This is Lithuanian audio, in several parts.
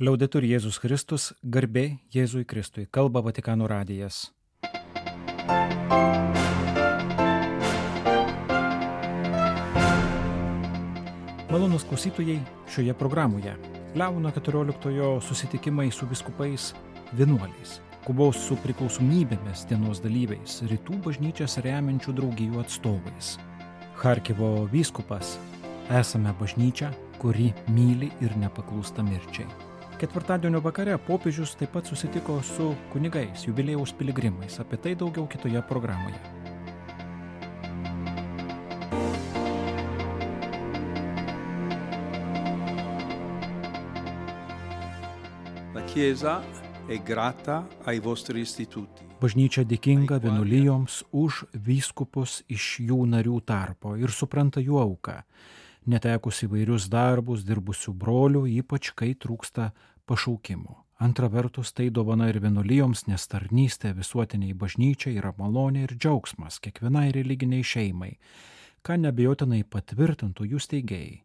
Liaudetur Jėzus Kristus, garbė Jėzui Kristui, kalba Vatikano radijas. Malonūs klausytojai, šioje programoje Leono XIV susitikimai su vyskupais vienuoliais, kovos su priklausomybėmis dienos dalyviais, rytų bažnyčias remiančių draugijų atstovais. Charkivo vyskupas: esame bažnyčia, kuri myli ir nepaklūsta mirčiai. Ketvirtadienio vakare popiežius taip pat susitiko su kunigais, jubiliejaus piligrimais. Apie tai daugiau kitoje programoje. La Chiesa è grata ai vostri istituti. Bažnyčia dėkinga vienuolijoms už vyskupus iš jų narių tarpo ir supranta jų auką, netekus įvairius darbus dirbusių brolių, ypač kai trūksta pašaukimų. Antra vertus, tai dovana ir vienuolijoms, nes tarnystė visuotiniai bažnyčiai yra malonė ir džiaugsmas kiekvienai religiniai šeimai, ką neabejotinai patvirtintų jų steigėjai,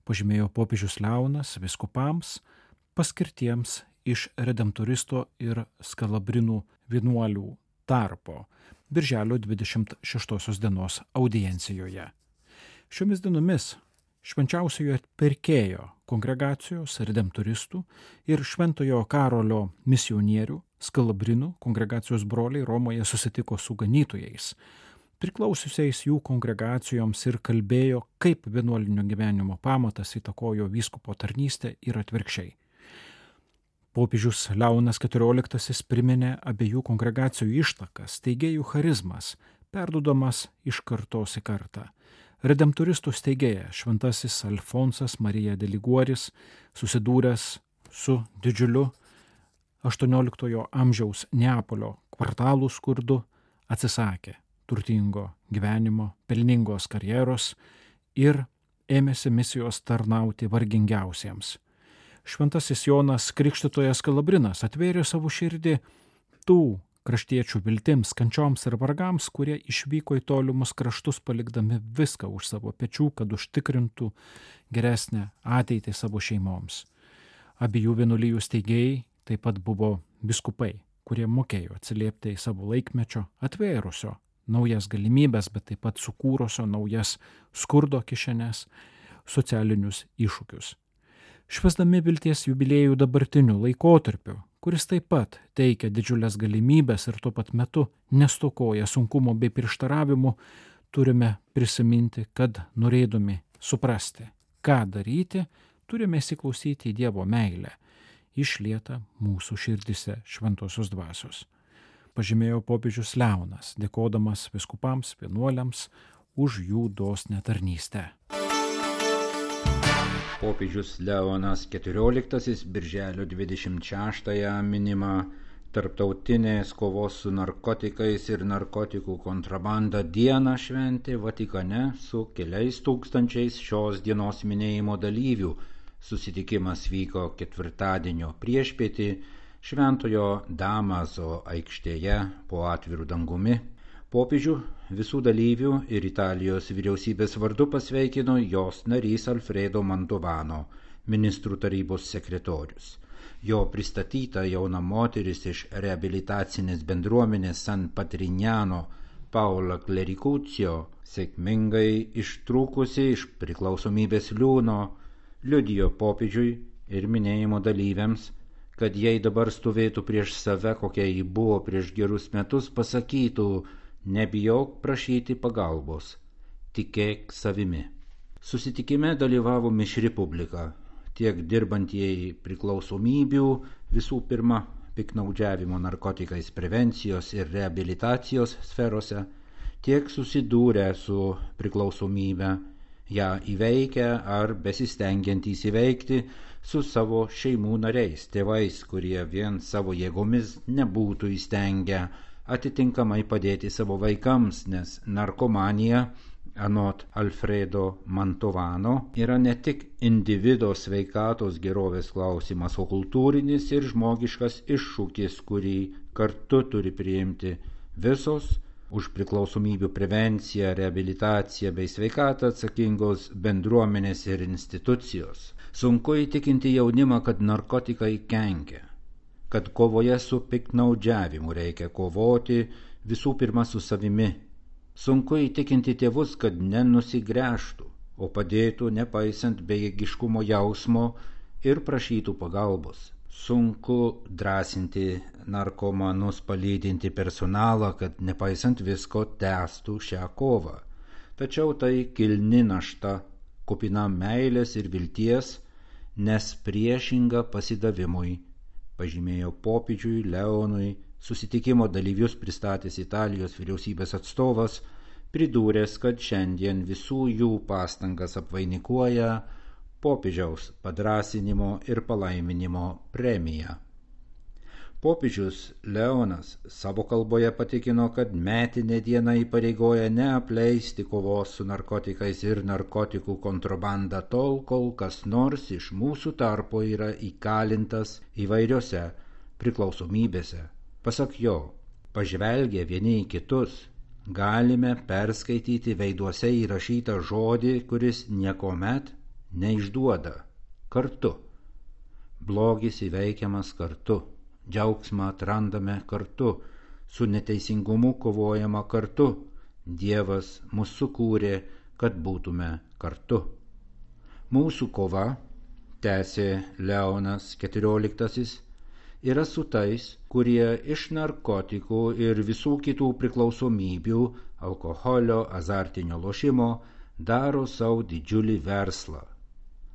pažymėjo popiežius Leonas vyskupams paskirtiems iš redemptoristo ir skalabrinų vienuolių tarpo birželio 26 dienos audiencijoje. Šiomis dienomis Švenčiausiojo Atpirkėjo kongregacijos redemptoristų ir Šventojo Karolio misionierių skalabrinų kongregacijos broliai Romoje susitiko su ganytojais, priklausiusiais jų kongregacijoms, ir kalbėjo, kaip vienuolinio gyvenimo pamatas įtakojo vyskupo tarnystę ir atvirkščiai. Popiežius Leonas XIV priminė abiejų kongregacijų ištakas, steigėjų charizmas, perduodamas iš kartos į kartą. Redemptoristų steigėja šventasis Alfonsas Marija de Liguoris, susidūręs su didžiuliu 18 amžiaus Neapolio kvartalų skurdu, atsisakė turtingo gyvenimo, pelningos karjeros ir ėmėsi misijos tarnauti vargingiausiems. Šventasis Jonas Krikštytojas Skalabrinas atvėrė savo širdį tų kraštiečių viltims, kančioms ir vargams, kurie išvyko į tolimus kraštus, palikdami viską už savo pečių, kad užtikrintų geresnę ateitį savo šeimoms. Abiejų vienuolijų steigėjai taip pat buvo vyskupai, kurie mokėjo atsiliepti į savo laikmečio, atvėrusio naujas galimybės, bet taip pat sukūrusio naujas skurdo kišenes, socialinius iššūkius. Švęsdami vilties jubiliejų dabartiniu laikotarpiu, kuris taip pat teikia didžiulės galimybės ir tuo pat metu nestokoja sunkumo bei prieštaravimų, turime prisiminti, kad norėdami suprasti, ką daryti, turime įsiklausyti į Dievo meilę, išlietą mūsų širdise šventosios dvasios. Pažymėjo popiežius Leonas, dėkodamas vyskupams, vienuoliams už jų dosnią tarnystę. Popiežius Leonas XIV birželio 26-ąją minima Tarptautinės kovos su narkotikais ir narkotikų kontrabanda dieną šventė Vatikane su keliais tūkstančiais šios dienos minėjimo dalyvių. Susitikimas vyko ketvirtadienio priešpietį Šventojo Damaso aikštėje po atviru dangumi. Popiežių visų dalyvių ir Italijos vyriausybės vardu pasveikino jos narys Alfredo Mantovano, ministrų tarybos sekretorius. Jo pristatyta jauna moteris iš reabilitacinės bendruomenės San Patrignano, Paola Clericuccio, sėkmingai ištrūkusi iš priklausomybės liūno, liudijo popiežiui ir minėjimo dalyviams, kad jei dabar stovėtų prieš save, kokia ji buvo prieš gerus metus, pasakytų: nebijok prašyti pagalbos, tikėk savimi. Susitikime dalyvavo mišri publika, tiek dirbantieji priklausomybių, visų pirma piktnaudžiavimo narkotikais prevencijos ir reabilitacijos sferose, tiek susidūrę su priklausomybe, ją įveikę ar besistengiantys įveikti su savo šeimų nariais, tėvais, kurie vien savo jėgomis nebūtų įstengę atitinkamai padėti savo vaikams, nes narkomanija, anot Alfredo Mantovano, yra ne tik individo sveikatos gerovės klausimas, o kultūrinis ir žmogiškas iššūkis, kurį kartu turi priimti visos, už priklausomybių prevenciją, reabilitaciją bei sveikatą atsakingos bendruomenės ir institucijos. Sunku įtikinti jaunimą, kad narkotikai kenkia, kad kovoje su piktnaudžiavimu reikia kovoti visų pirma su savimi. Sunku įtikinti tėvus, kad nenusigręžtų, o padėtų nepaisant bejėgiškumo jausmo ir prašytų pagalbos. Sunku drąsinti narkomanus, palydinti personalą, kad nepaisant visko tęstų šią kovą. Tačiau tai kilni našta, kupina meilės ir vilties, nes priešinga pasidavimui, pažymėjo popiežiui Leonui susitikimo dalyvius pristatęs Italijos vyriausybės atstovas, pridūręs, kad šiandien visų jų pastangas apvainikuoja popiežiaus padrąsinimo ir palaiminimo premija. Popiežius Leonas savo kalboje patikino, kad metinė diena įpareigoja neapleisti kovos su narkotikais ir narkotikų kontrabanda tol, kol kas nors iš mūsų tarpo yra įkalintas įvairiose priklausomybėse. Pasak jo, pažvelgę vieni į kitus, galime perskaityti veiduose įrašytą žodį, kuris niekuomet neišduoda – kartu. Blogis įveikiamas kartu, džiaugsmą atrandame kartu, su neteisingumu kovojama kartu. Dievas mus sukūrė, kad būtume kartu. Mūsų kova, tęsė Leonas XIV, yra su tais, kurie iš narkotikų ir visų kitų priklausomybių, alkoholio, azartinio lošimo, daro savo didžiulį verslą.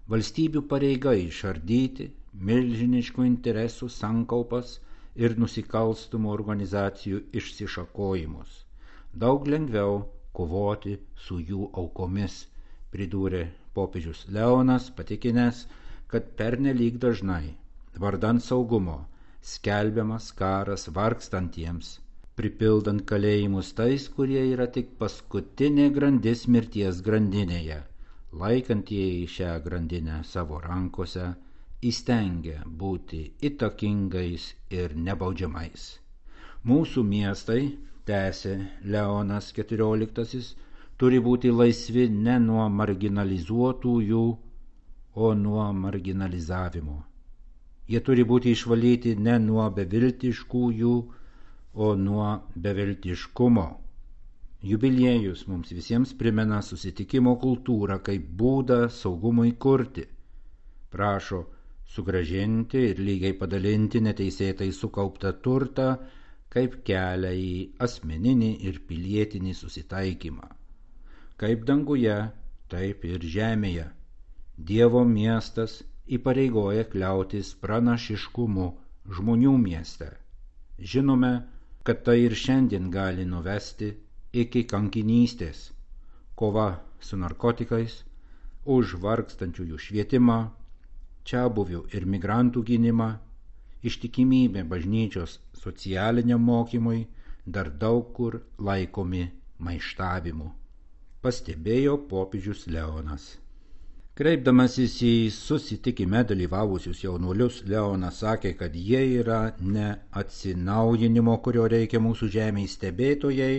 Valstybių pareiga išardyti milžiniškų interesų sankaupas ir nusikalstamų organizacijų išsišakojimus. Daug lengviau kovoti su jų aukomis, pridūrė popiežius Leonas, patikinęs, kad pernelyg dažnai, vardan saugumo, skelbiamas karas vargstantiems, pripildant kalėjimus tais, kurie yra tik paskutinė grandis mirties grandinėje. Laikantieji šią grandinę savo rankose įstengia būti įtakingais ir nebaudžiamais. Mūsų miestai, tęsė Leonas XIV, turi būti laisvi ne nuo marginalizuotųjų, o nuo marginalizavimo. Jie turi būti išvalyti ne nuo beviltiškųjų, o nuo beviltiškumo. Jubiliejus mums visiems primena susitikimo kultūrą kaip būdą saugumui kurti. Prašo sugrąžinti ir lygiai padalinti neteisėtai sukauptą turtą kaip kelią į asmeninį ir pilietinį susitaikymą. Kaip danguje, taip ir žemėje. Dievo miestas įpareigoja kliautis pranašiškumu žmonių mieste. Žinome, kad tai ir šiandien gali nuvesti iki kankinystės, kova su narkotikais, už vargstančiųjų švietimą, čiabuvių ir migrantų gynimą, ištikimybė bažnyčios socialiniam mokymui dar daug kur laikomi maištavimu, pastebėjo popiežius Leonas. Kreipdamasis į susitikime dalyvavusius jaunuolius, Leonas sakė, kad jie yra ne atsinaujinimo, kurio reikia mūsų žemėje stebėtojai,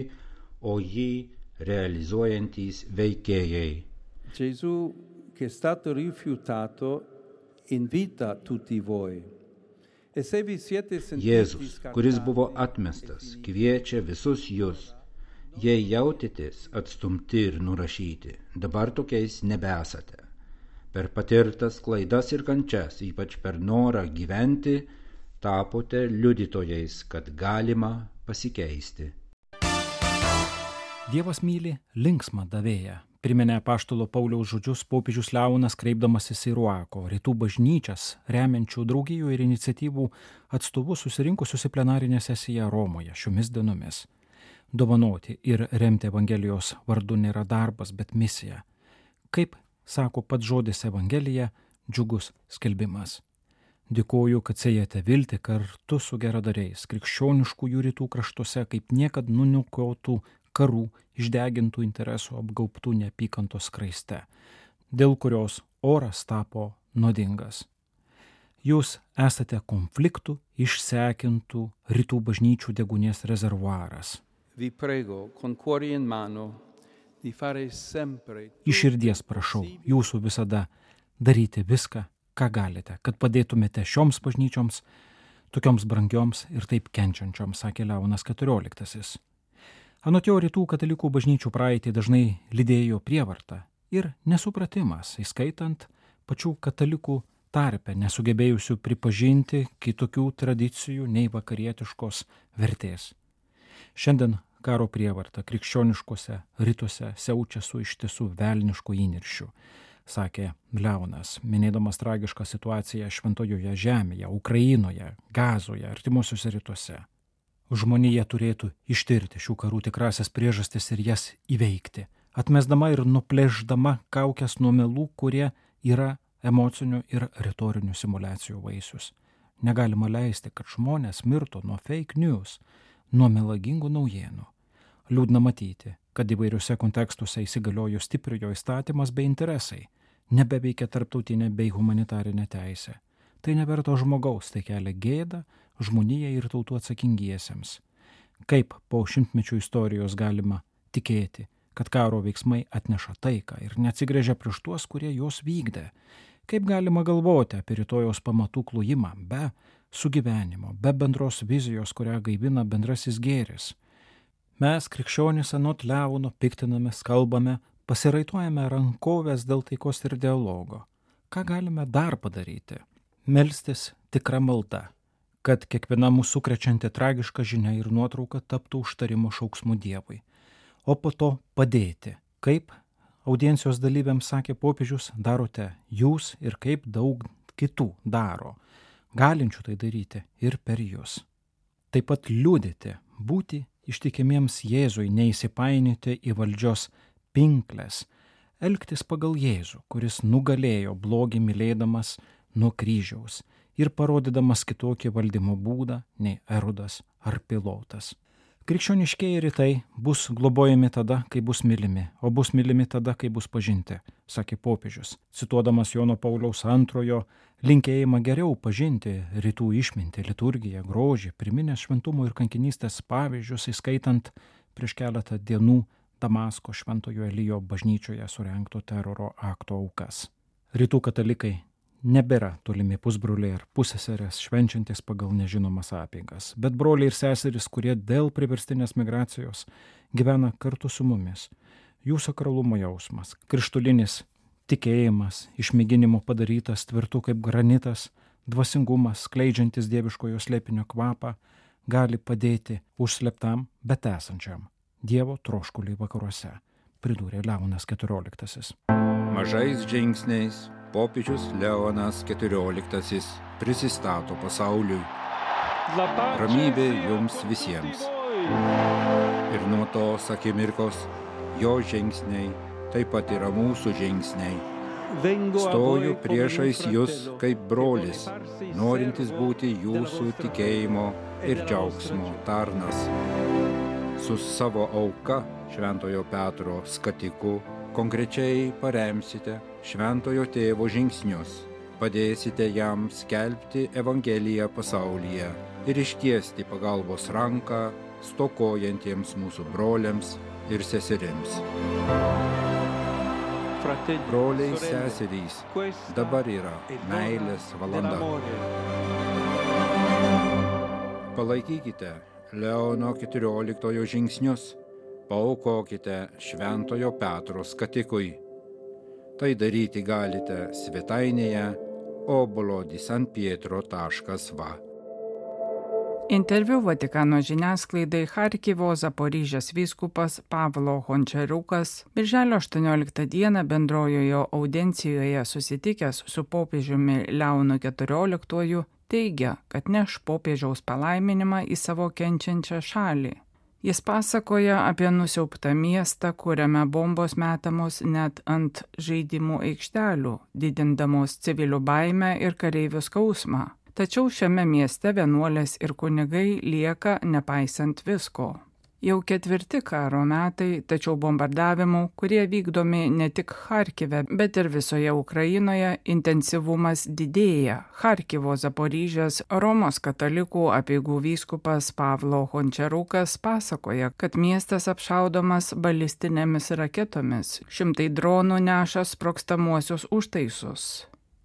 o jį realizuojantys veikėjai. Gesù, che è stato rifiutato, invita tutti voi. E se vi siete sentiti Jėzus, kuris buvo atmestas, kviečia visus jūs. Jei jautėtės atstumti ir nurašyti, dabar tokiais nebesate. Per patirtas klaidas ir kančias, ypač per norą gyventi, tapote liudytojais, kad galima pasikeisti. Dievas myli linksmą davėją, priminė apaštalo Pauliaus žodžius popiežius Leonas, kreipdamasis į Ruako, rytų bažnyčias, remiančių draugijų ir iniciatyvų atstovus susirinkusius į plenarinę sesiją Romoje šiomis dienomis. Dovanoti ir remti Evangelijos vardu nėra darbas, bet misija. Kaip sako pats žodis Evangelija, džiugus skelbimas. Dėkoju, kad sėjate viltį kartu su geradariais, krikščioniškųjų rytų kraštuose, kaip niekad nuniokotų karų, išdegintų interesų, apgaubtų neapykantos skraiste, dėl kurios oras tapo nuodingas. Jūs esate konfliktų išsekintų rytų bažnyčių degunės rezervuaras. vi prego, con cuore in mano, di fare sempre Iš širdies prašau jūsų visada daryti viską, ką galite, kad padėtumėte šioms bažnyčioms, tokioms brangioms ir taip kenčiančioms, sakė Leonas XIV. Anot jo, rytų katalikų bažnyčių praeitį dažnai lydėjo prievarta ir nesupratimas, įskaitant pačių katalikų tarpe, nesugebėjusių pripažinti kitokių tradicijų nei vakarietiškos vertės. Šiandien karo prievarta krikščioniškose rytuose siaučia su ištisų velnišku įniršiu, sakė Leonas, minėdamas tragišką situaciją Šventojoje žemėje, Ukrainoje, Gazoje, artimuosiuose rytuose. Žmonija turėtų ištirti šių karų tikrasias priežastis ir jas įveikti, atmesdama ir nuplėšdama kaukes nuo melų, kurie yra emocinių ir retorinių simuliacijų vaisius. Negalima leisti, kad žmonės mirtų nuo fake news, nuo melagingų naujienų. Liūdna matyti, kad įvairiuose kontekstuose įsigaliojo stipriojo įstatymas bei interesai, nebeveikia tarptautinė bei humanitarinė teisė. Tai neverto žmogaus, tai kelia gėdą žmonijai ir tautų atsakingiesiems. Kaip po šimtmečių istorijos galima tikėti, kad karo veiksmai atneša taiką ir neatsigręžia prieš tuos, kurie juos vykdė? Kaip galima galvoti apie rytojaus pamatų klojimą be sugyvenimo, be bendros vizijos, kurią gaivina bendrasis gėris? Mes, krikščionys, anot Leono, piktinamės, kalbame, pasiraituojame rankovės dėl taikos ir dialogo. Ką galime dar padaryti? Melstis tikra malda, kad kiekviena mūsų sukrečianti tragiška žinia ir nuotrauka taptų užtarimo šauksmu Dievui. O po to padėti, kaip audiencijos dalyviams sakė popiežius, darote jūs ir kaip daug kitų daro, galinčių tai daryti ir per jūs. Taip pat liudyti, būti ištikimiems Jėzui, neįsipainioti į valdžios pinkles, elgtis pagal Jėzų, kuris nugalėjo blogį mylėdamas nuo kryžiaus ir parodydamas kitokį valdymo būdą nei Erodas ar Pilotas. Krikščioniškieji rytai bus globojami tada, kai bus mylimi, o bus mylimi tada, kai bus pažinti, sakė popiežius, cituodamas Jono Pauliaus II linkėjimą geriau pažinti rytų išmintį, liturgiją, grožį, priminęs šventumo ir kankinystės pavyzdžius, įskaitant prieš keletą dienų Damasko Šventojo Elijo bažnyčioje surengto teroro akto aukas. Rytų katalikai nebėra tolimi pusbroliai ar pusseserės švenčiantis pagal nežinomas apeigas, bet broliai ir seserys, kurie dėl priverstinės migracijos gyvena kartu su mumis. Jų sakralumo jausmas, krištulinis tikėjimas, išmėginimo padarytas tvirtu kaip granitas, dvasingumas, skleidžiantis dieviškojo slėpinio kvapą, gali padėti užslėptam, bet esančiam Dievo troškuliui vakaruose, pridūrė Leonas XIV. Mažais žingsniais popiežius Leonas XIV prisistato pasauliui. Ramybė jums visiems. Ir nuo tos akimirkos jo žingsniai taip pat yra mūsų žingsniai. Stoju priešais jūs kaip brolis, norintis būti jūsų tikėjimo ir džiaugsmo tarnas. Su savo auka, Šventojo Petro skatiku, konkrečiai paremsite Šventojo Tėvo žingsnius, padėsite jam skelbti Evangeliją pasaulyje ir ištiesti pagalbos ranką stokojantiems mūsų broliams ir seserims. Broliai, seserys, dabar yra meilės valanda. Palaikykite Leono XIV žingsnius, paaukokite Šventojo Petro skatikui. Tai daryti galite svetainėje obolo-di-San-Pietro.va. Interviu Vatikano žiniasklaidai Charkivo Zaporižės vyskupas Pavlo Hončariukas birželio 18 dieną bendrojoje audiencijoje susitikęs su popiežiumi Leonu XIV teigia, kad neš popiežiaus palaiminimą į savo kenčiančią šalį. Jis pasakoja apie nusiaubtą miestą, kuriame bombos metamos net ant žaidimų aikštelių, didindamos civilių baimę ir kareivių skausmą. Tačiau šiame mieste vienuolės ir kunigai lieka nepaisant visko. Jau 4 karo metai, tačiau bombardavimų, kurie vykdomi ne tik Charkive, bet ir visoje Ukrainoje, intensyvumas didėja. Charkivo Zaporižės Romos katalikų apeigų vyskupas Pavlo Hončerukas pasakoja, kad miestas apšaudomas balistinėmis raketomis. Šimtai dronų neša sprogstamuosius užtaisus.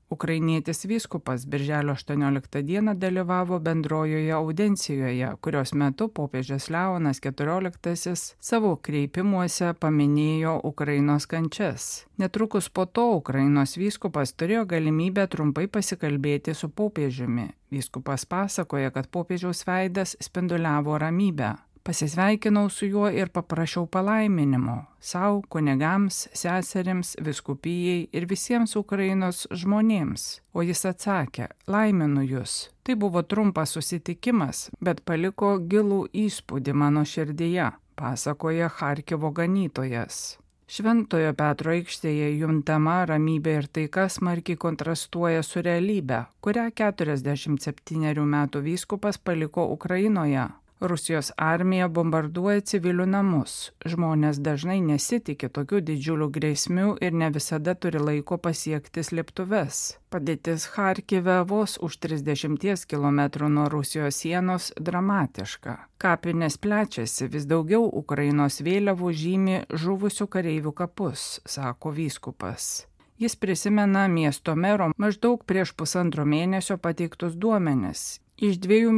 Ukrainietis vyskupas birželio 18 dieną dalyvavo bendrojoje audencijoje, kurios metu popiežius Leonas XIV savo kreipimuose paminėjo Ukrainos kančias. Netrukus po to Ukrainos vyskupas turėjo galimybę trumpai pasikalbėti su popiežiumi. Vyskupas pasakoja, kad popiežiaus veidas spinduliavo ramybę. Pasisveikinau su juo ir paprašiau palaiminimo sau, kunigams, seserims, vyskupijai ir visiems Ukrainos žmonėms. O jis atsakė, laiminu jūs. Tai buvo trumpas susitikimas, bet paliko gilų įspūdį mano širdyje, pasakoja Charkivo ganytojas. Šventojo Petro aikštėje juntama ramybė ir taika smarkiai kontrastuoja su realybe, kurią 47 metų vyskupas paliko Ukrainoje. Rusijos armija bombarduoja civilių namus. Žmonės dažnai nesitikė tokių didžiulių grėsmių ir ne visada turi laiko pasiekti slėptuves. Padėtis Charkive vos už 30 km nuo Rusijos sienos dramatiška. Kapinės plečiasi, vis daugiau Ukrainos vėliavų žymi žuvusių kareivių kapus, sako vyskupas. Jis prisimena miesto mero maždaug prieš 1,5 mėnesio pateiktus duomenis. Iš 2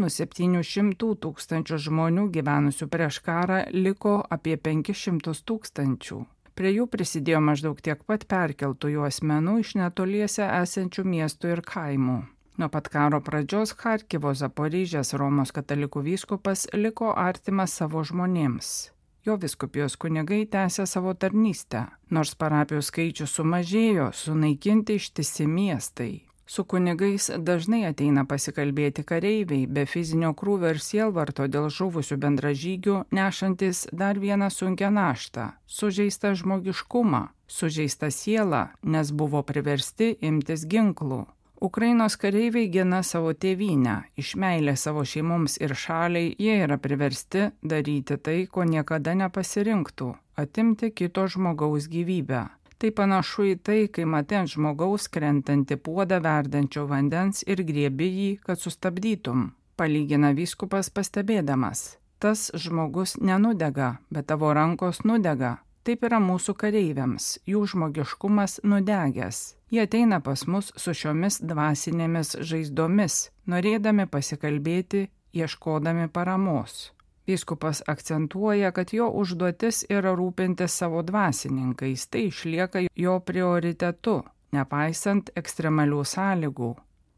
700 000 žmonių gyvenusių prieš karą liko apie 500 000. Prie jų prisidėjo maždaug tiek pat perkeltųjų asmenų iš netoliese esančių miestų ir kaimų. Nuo pat karo pradžios Charkivo Zaporižės Romos katalikų vyskupas liko artimas savo žmonėms. Jo vyskupijos kunigai tęsė savo tarnystę. Nors parapijų skaičius sumažėjo, sunaikinti ištisi miestai. Su kunigais dažnai ateina pasikalbėti kareiviai, be fizinio krūvio ir sielvarto dėl žuvusių bendražygių, nešantis dar vieną sunkią naštą – sužeistą žmogiškumą, sužeistą sielą, nes buvo priversti imtis ginklų. Ukrainos kareiviai gina savo tėvynę, iš meilės savo šeimoms ir šaliai jie yra priversti daryti tai, ko niekada nepasirinktų – atimti kito žmogaus gyvybę. Tai panašu į tai, kai matai ant žmogaus krentantį puodą verdančio vandens ir griebi jį, kad sustabdytum, palygina vyskupas pastebėdamas. Tas žmogus nenudega, bet tavo rankos nudega. Taip yra mūsų kareiviams, jų žmogiškumas nudegęs. Jie ateina pas mus su šiomis dvasinėmis žaizdomis, norėdami pasikalbėti, ieškodami paramos. Vyskupas akcentuoja, kad jo užduotis yra rūpintis savo dvasininkais, tai išlieka jo prioritetu, nepaisant ekstremalių sąlygų.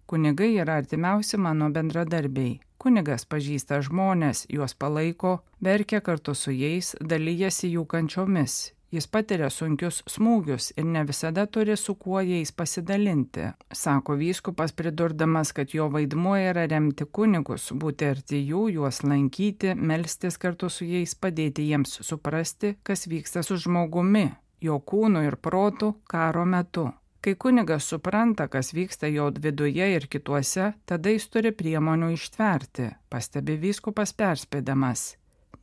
Kunigai yra artimiausi mano bendradarbiai. Kunigas pažįsta žmonės, juos palaiko, verkia kartu su jais, dalyjasi jų kančiomis. Jis patiria sunkius smūgius ir ne visada turi su kuo jais pasidalinti, sako vyskupas pridurdamas, kad jo vaidmuo yra remti kunigus, būti arti jų, juos lankyti, melstis kartu su jais, padėti jiems suprasti, kas vyksta su žmogumi, jo kūnu ir protu karo metu. Kai kunigas supranta, kas vyksta jo viduje ir kituose, tada jis turi priemonių ištverti, pastebi vyskupas perspėdamas.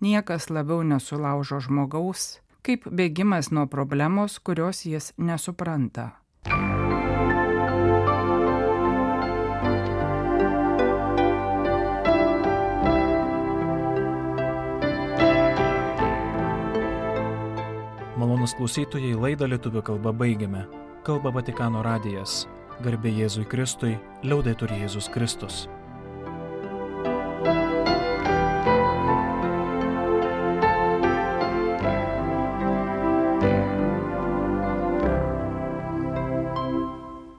Niekas labiau nesulaužo žmogaus, kaip bėgimas nuo problemos, kurios jis nesupranta. Malonūs klausytojai, laidą lietuvių kalba baigiame. Kalba Vatikano radijas. Garbė Jėzui Kristui, liaudetur Jėzus Kristus.